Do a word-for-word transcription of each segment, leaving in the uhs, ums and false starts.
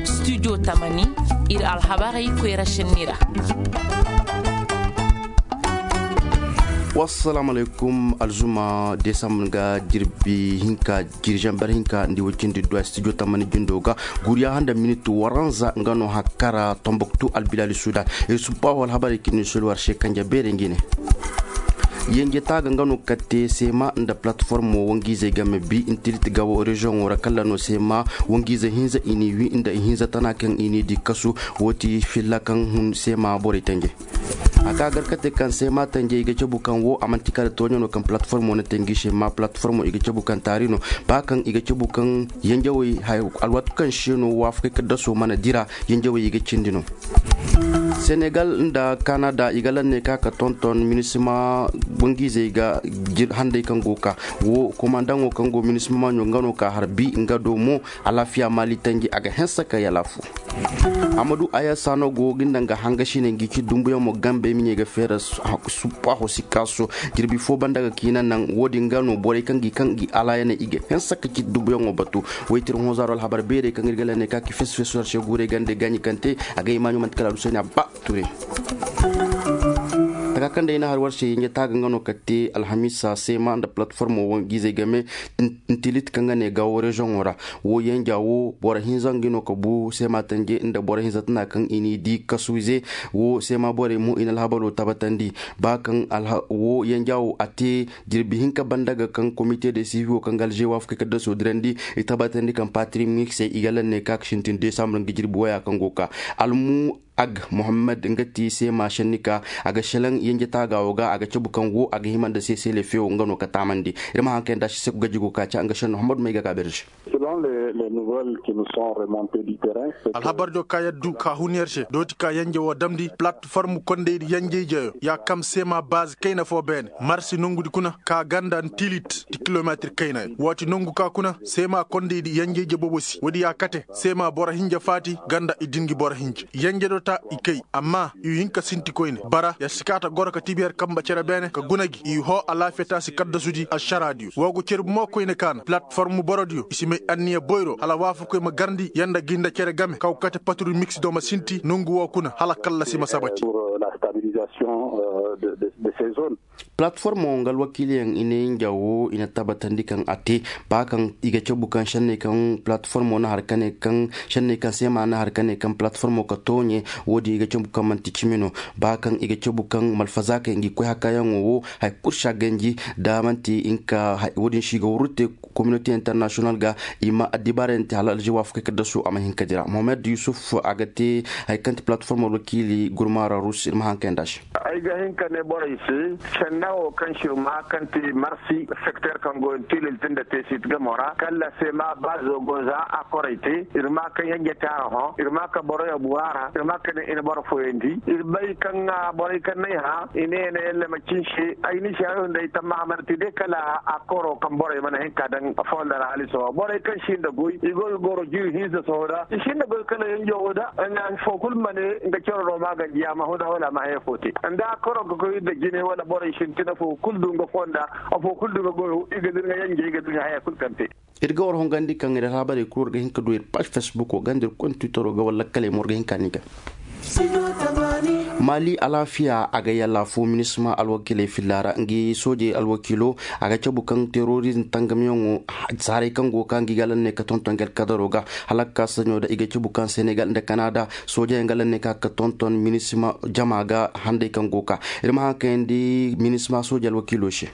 Studio tamani, iri alhabarey koyra senni ra. Wassalaamu alaykum. Alzuma desambur ga jirbi hinka, jirjanber hinka nda iway cindi duwa studio tamani jindo ga. Guriya handa miniti waranza nga no hakkara tombuktu albilali sudan. Iri subba wala habarey kini sulu war se kanja beere ngi ne. Yanje taaga nga no katte sema nda platformo wangiizey game bi intilit ga wo reziyoŋo ra kala no sema wangiizey hinza i n'i wi nda i hinza tana kaŋ i n'i di kasu. Wo ti filla kaŋ hun sema borey tanje. A ka gar kate kaŋ sema tanje i ga cabu kaŋ wo a manti kala tooɲo no kaŋ platformo na te ngi se ma platformo i ga cabu kaŋ taari no. Ba kaŋ i ga cabu kaŋ yanjawey alwaati kaŋ se no waafakey kaddaso mana dira. Yanjawey i ga cindi no. Senegal nda kanada i ga lanne ka ka tonton minisima bangiizey ga handay kaŋ go ka wo komandaŋo kaŋ go minisima maɲo nga no ka harbi nga do mo. Alaafiya maali tanji a ga hensa ka yala fo. Amadu aya sano go ginda nga hanga sine ngi ci dumbuyaŋ mo gambe miɲey ga feera suppa ho sikka so. Jirbi fo banda ga kiina naŋ wo- din ga no borey kaŋ gi kaŋ gi alaayaney i ga hensa ka ci dumbuyaŋo batu. Waytir honzaro alhabar beerey kaŋ iri ga lanne ka ki fesu fesu harse guurey gande gaɲi kaŋ te a ga imaɲo manti kala alusayni a ba ture. Taka kaŋ day na har war se yanje taaga nga no ka te alhamisa sema nda platformo wo giizey game. Ntilit kaŋ ga ne gawo reziyoŋo ra wo yanja wo boro hinza ngi no ka bu sema tanje nda boro hinza tana kaŋ i n'i di kasuwize. Wo sema borey mo i na alhabalo tabatandi ba kaŋ wo yanja wo a te jirbi hinka banda ga kaŋ komite de sivi wo kaŋ ga alze waafakey kaddaso dirandi. I tabatandi kaŋ patri miksey i ga lanne ka ga sintin desambur nga jirbi waya kaŋ go ka almu ag mohammed nga ti sema senni ka a ga selaŋ yanje taaga wo ga a ga cabu kaŋ wo a ga hima nda sesele feewo nga no ka taamandi. Iri ma haŋ kaŋ yaŋ da si se ku gaji go ka ca nga senno mohammed may ga ka berge. Alhabar jo ka yaddu ka hun yar se dooti ka yanje wo damndi platform kondey di yanjey jeyo ya kam sema baazi kayna fo beene marsi nongu di kuna ka ganda ntilit ti kilometir kayna. Wo ti nongu ka kuna sema kondey di yanjey je boobo si wo- di ya kate sema boro hinja faati ganda i din gi boro hinja yanje do ta i kay amma i hin ka sinti koyne bara ya si ka ta goro ka tibi har kamba cere beene ka guna gi i ho alaafiya ta si kaddasu di alsara diyo wo go cere bumo koyne ka na platform boro diyo i si may anniya boyro hala waafakoy ma garndi yanda gi nda cere game kaw kate patru mix do ma sinti nongu wo kuna hala kallasi ma sabati. Platformo nga alwakiiliyaŋ i ne nja wo i na tabatandi kaŋ a te ba kaŋ i ga cabu kaŋ senney kaŋ platformo na har kane kaŋ senney kaŋ seema na har kane kaŋ platformo ka tooɲe. Wo- din i ga cabu kaŋ manti cimi no ba kaŋ i ga cabu kaŋ malfazaakey ngi koy hakayaŋo wo hari kulu si a ganji da manti nga wo- din si i ga wurru te. Communauté international ga i ma addibaarey yaŋ te hala alze waafakey kaddasu a ma hin ka dira mohammed yusuf a ga te hari kaŋ ti platform alwakiili gurmaara rus iri ma haŋ kayanda se. Ay ga hin ka ne borey se senda wo kaŋ sirma kaŋ ti marsi sekter kaŋ go tilil tinda tesit gamo ra kalla se ma baazo go za a koray te iri ma ka yanje te a hõ iri ma ka boroyo bu a ra iri ma ka ne i na boro fooyandi iri bay kaŋ borey kaŋ n'ay hã i ne ne yalle ma cinse ay ni se ay hunday tamma a mana te day kala a koro kaŋ borey mana hin ka daŋ fondo ra hala i sohõ borey kaŋ si nda goy i go ga goro jiiri hinza sohõ da i si nda goy kala yanjo wo da fo kulu ma ne nga coro no ma ganji ya ma huna wala ma haya fo te nda a koro ga koy nda jine wala borey sintina fo kulu du nga fonda afo kulu du nga goyo i ga dira nga yanjey i ga dira nga haya kulu kaŋ te. Iri ga war hongandi kaŋ iri alhabarey kulu war ga hin ka du iri page facebook wo ganda iri konda twitter wo ga wala lakkaley mo war ga hin ka ni ga. Mali alaafiya a ga yalla fo minisma alwakiiley filla ra ngi soojey alwakiilo a ga cabu kaŋ terorizm tangamiyaŋo saaray kaŋ go ka ngi ga lanne ka tonton ngi alkadaro ga hala ga ka saɲo da i ga cabu kaŋ senegal nda kanada soojeyaŋ ga lanne ka ga tonton minisma jama ga handay kaŋ go ka iri ma haŋ kayandi minisma soojey alwakiilo se.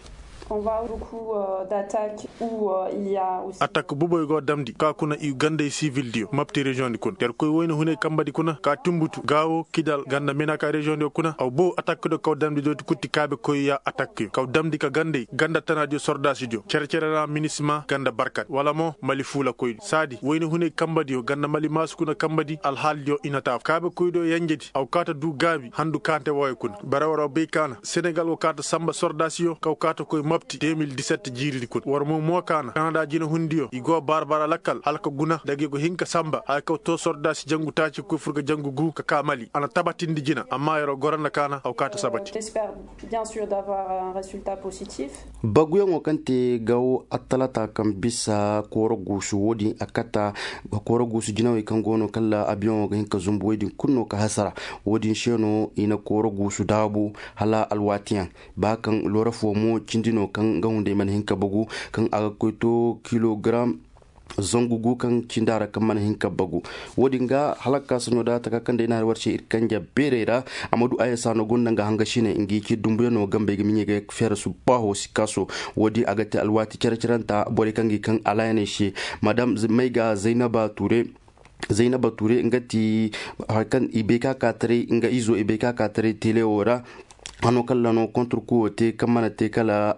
Atak buboy go damndi ka kuna i gandey sivil diyo mapti reziyoŋ di kuna yar koy wayna hunay kamba di kuna ka timbutu gaawo kidal ganda menaka reziyoŋ diyo kuna aw bo atak do kaw damndi dooti kutti kaabe koy ya atak yo kaw damndi ka gandey ganda tana diyo sordaasi diyo cere-cere ra minisma ganda barkat wala mo mali fuula koy di saadi wayna hunay kamba diyo ganda mali maasu kuna kamba di alhaali diyo i na taa kaabe koy diyo yanje di aw kaata du gaabi handu kaante wooyo kuna bara war aw bay kaana senegal go kaata samba sordaasi yo kaw kaata koy Opti deux mille dix-sept jiiri di kuna war mo mo kaana kanada jina hundiyo i go barbara lakkal hala ka guna daga i go hin ka samba hala ka to sorda si jangu taaci ka koy furga jangu gu ka ka mali a na tabatindi jina amma yaro goranda kaana haw kaata sabati. Baguyaŋo kaŋ te gawo attalata kaŋ bisa kooro guusu wo- din a kata kooro guusu jinawey kaŋ go no kala abiyaŋo ga hin ka zumbu wo- din kulu no ka hasara. Wo- din se no i na kooro guusu daabu hala alwaatiyaŋ ba kaŋ loora fo mo cindi no kaŋ ga hunday mana hin ka bagu kaŋ a ga koy to kilogaram zangu gu kaŋ cindi a ra kaŋ mana hin ka bagu. Wo- din ga hala ga ka saɲo da taka kaŋ day na hari war se iri kanja beerey ra. Amadu ayasa no gonda nga hanga sine nga i ci dumbuyaŋ no gambey ga miɲey ga feera su baaho si kaaso. Wo- din a ga te alwaati care-caranta borey kaŋ ga i kaŋ alaayaney se madam mayga zaynaba ture. Zaynaba ture nga ti hari kaŋ i bay ka ka taray nga izo i bay ka ka taray tele wo ra. Hano kala no kontur kuwo te kaŋ mana te kala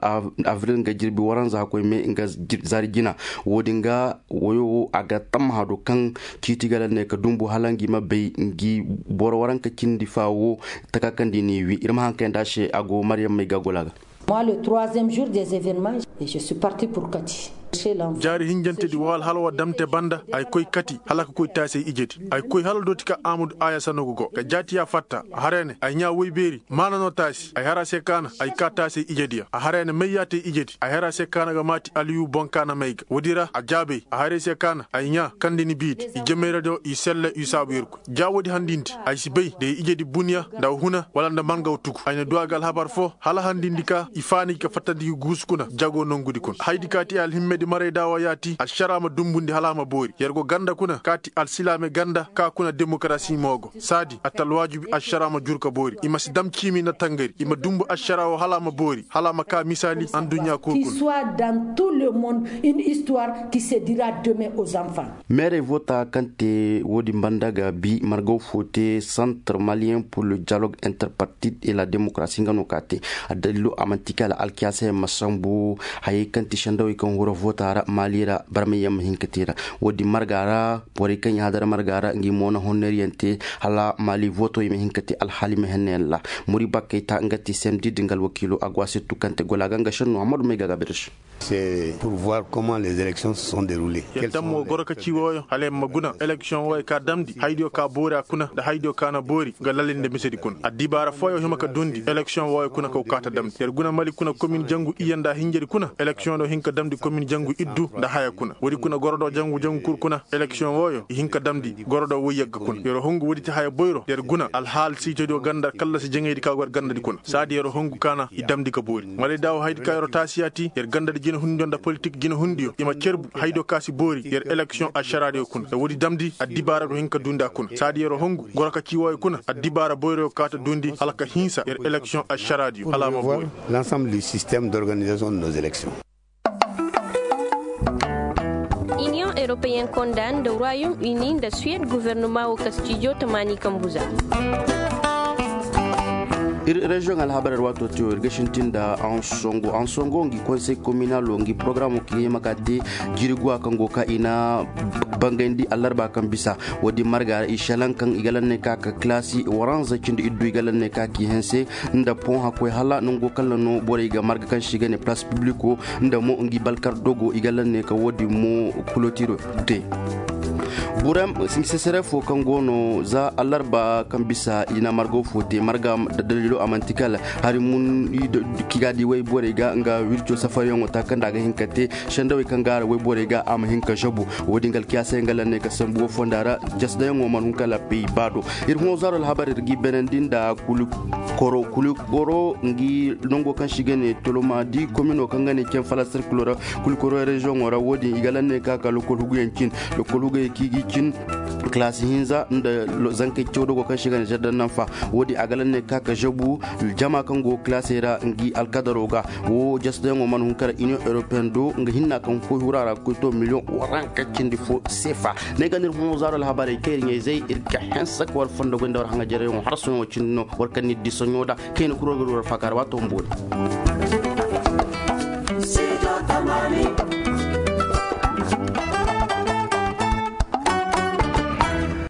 avril nga jirbi waranza koy me nga zaari jina. Wo- din ga wayo wo a ga tammaha do kaŋ ciiti ga lalle ka dumbu hala nga i ma bay nga i boro waranka cindi fa wo taka kaŋ da i n'i wi iri ma haŋ kayanda se a go maryam may ga gola ga. Moi le troisième jour des événements, et je suis parti pour kati. Jaari hinjante di waal hala wa damte banda ay koy kati hala ka koy taasey ije di ay koy hala dooti ka amudu aya sanogo go ka jaati ya fatta a haray ne ay ɲa woy beeri maana no taasi ay har a se kaana ay ka taasey ije di ya a haray ne may ya te ije di ay har a se kaana ga maati aliyu boŋ kaana may ga woodi ra a jaabey a haray se kaana ay ɲa kaŋ da ni bii di i jamey ra do i selle i saabu yer koy ja woodi handindi ay si bay da i ije di bun ya nda huna wala nda mangaw tugu ay na du a ga alhabar fo hala handindi ka i faani ga fattandi ga guusu kuna jago nongu di kuna haydi ka ti ay alhimme di maray da wa yaati alšara ma dumbundi hala a ma boori yer go ganda kuna ka ti alsilaame ganda ka kuna demokarasi mo go saadi a ta alwaajibi alšara ma juru ka boori i ma si dam ciimi nda tangari i ma dumbu alšara wo hala a ma boori hala a ma ka misaali anduɲɲa kulu kuna. Meerey voota kaŋ te wo- din banda ga bi margaw fo te centre malien pour le dialogue interpartite et la démocratie nga no ka te. Addalilo a manti kala alkiyaasa yaŋ ma sambu hayey kaŋ ti sendawey kaŋ hura voota ra maali ra barmay yaŋ ma hin ka te ra. Wo- din marga ra borey kaŋ yaŋ hadara marga ra nga i mo na honneeriyaŋ te hala maali vootowey ma hin ka te alhaali ma henna yaŋ ra. Muri bakkey ta nga ti semdi da nga alwakiilo a go a sirtu kaŋ te gola ga nga senno hammadu may ga ga birse. Yadda mo goro ka ci wooyo hala yaŋ ma guna eleksiyoŋ wooyo ka damndi haydiyo ka boori a kuna nda haydiyo ka na boori nga lalli nda misedi kuna addibaara fooyo hima ka duundi eleksiyoŋ wooyo kuna ka wakaata damndi yer guna mali kuna komin jangu iyye nda hinjedi kuna eleksiyoŋo hin ka damndi komin jangu iddu nda haya kuna woodi kuna goro do jangu jangu kulu kuna eleksiyoŋ wooyo i hin ka damndi goro do woy yagga kuna yer hungu woodi ti haya boyro yer guna alhaali siitodiyo ganda kallasi jaŋaydi ka go yer gandadi kuna saadi yer hungu kaana i damndi ka boori malay daawo haydi ka yer taasi ya ti yer gandadi jinahundiyo nda politik jinahundiyo i ma cerbu haydiyo ka si boori yer eleksiyoŋ ašaraadiyo kuna da woodi damndi addibaara go hin ka duundi a kuna saadi yer hungu goro ka ci wooyo kuna addibaara boyroyo kaata duundi hala ka hinsa yer eleksiyoŋ ašaraadiyo hala a ma boori. L'ensemble du système d'organisation de nos élections. Iniyoŋ europeyen konda nda royaume uni nda suwed guvernama wo kastijo tamaani kambu za. Iri reziyoŋ alhabar iri waato tiyo iri ga sintin nda ansongo ansongo ngi konsey kominalo ngi porogaraamo kaŋ i hima ka te jiiri guwa kaŋ go ka i na bangayndi allarba kaŋ bisa. Wo- din marga ra i selaŋ kaŋ i ga lanney ka ka kilaasi waranza cindi iddu i ga lanney ka k'i hanse nda pon hakkoy hala nango kaŋ ra no borey ga marga kaŋ se i ga ne place publico nda mo ngi balkar dogo i ga lanney ka wo- din mo kulotiro te. Burem sesere fo kaŋ go no za allarba kaŋ bisa i na margo fo te marga da dalilo a manti kala hari mun kiga di wayborey ga nga wirco safariyaŋo ta kaŋ da a ga hin ka te sendawey kaŋ gaara wayborey ga a ma hin ka zabu. Wo- din ga alkiyaasey nga lanney ka sambu wo fonda ra jasdayaŋo mana hun kala pey ba do. Iri hõ zaaro alhabar iri g'i beenandi nda kuli koro kuli koro ngi nango kaŋ se i ga ne toloma di komino kaŋ ga ne cen falasar kulo ra. Kuli koro reziyoŋo ra wo- din i ga lanney ka ka lokol huguyaŋ cin lokol hugayey kaŋ i g'i cin kilaasi hinza nda zankey cawdogo kaŋ se i ga ne zardan nanfa. Wo- din a ga lanney ka ka zabu jama kaŋ go kilaasey ra ngi alkadaro ga. Wo jastayaŋo mana hun kara iniyoŋ europeyen do nga hinna kaŋ koy hura ra ga koy to miliyoŋ waranka cindi fo seefa. Ne ga no iri hõ zaaro alhabarey kaŋ iri ɲayzey iri ga hanse ka war fondo goy nda war haŋajereyaŋo har sohõ wo cindi no war kaŋ n'iri di sohõ da kayna kuro ga du war faaka ra waato bumbo.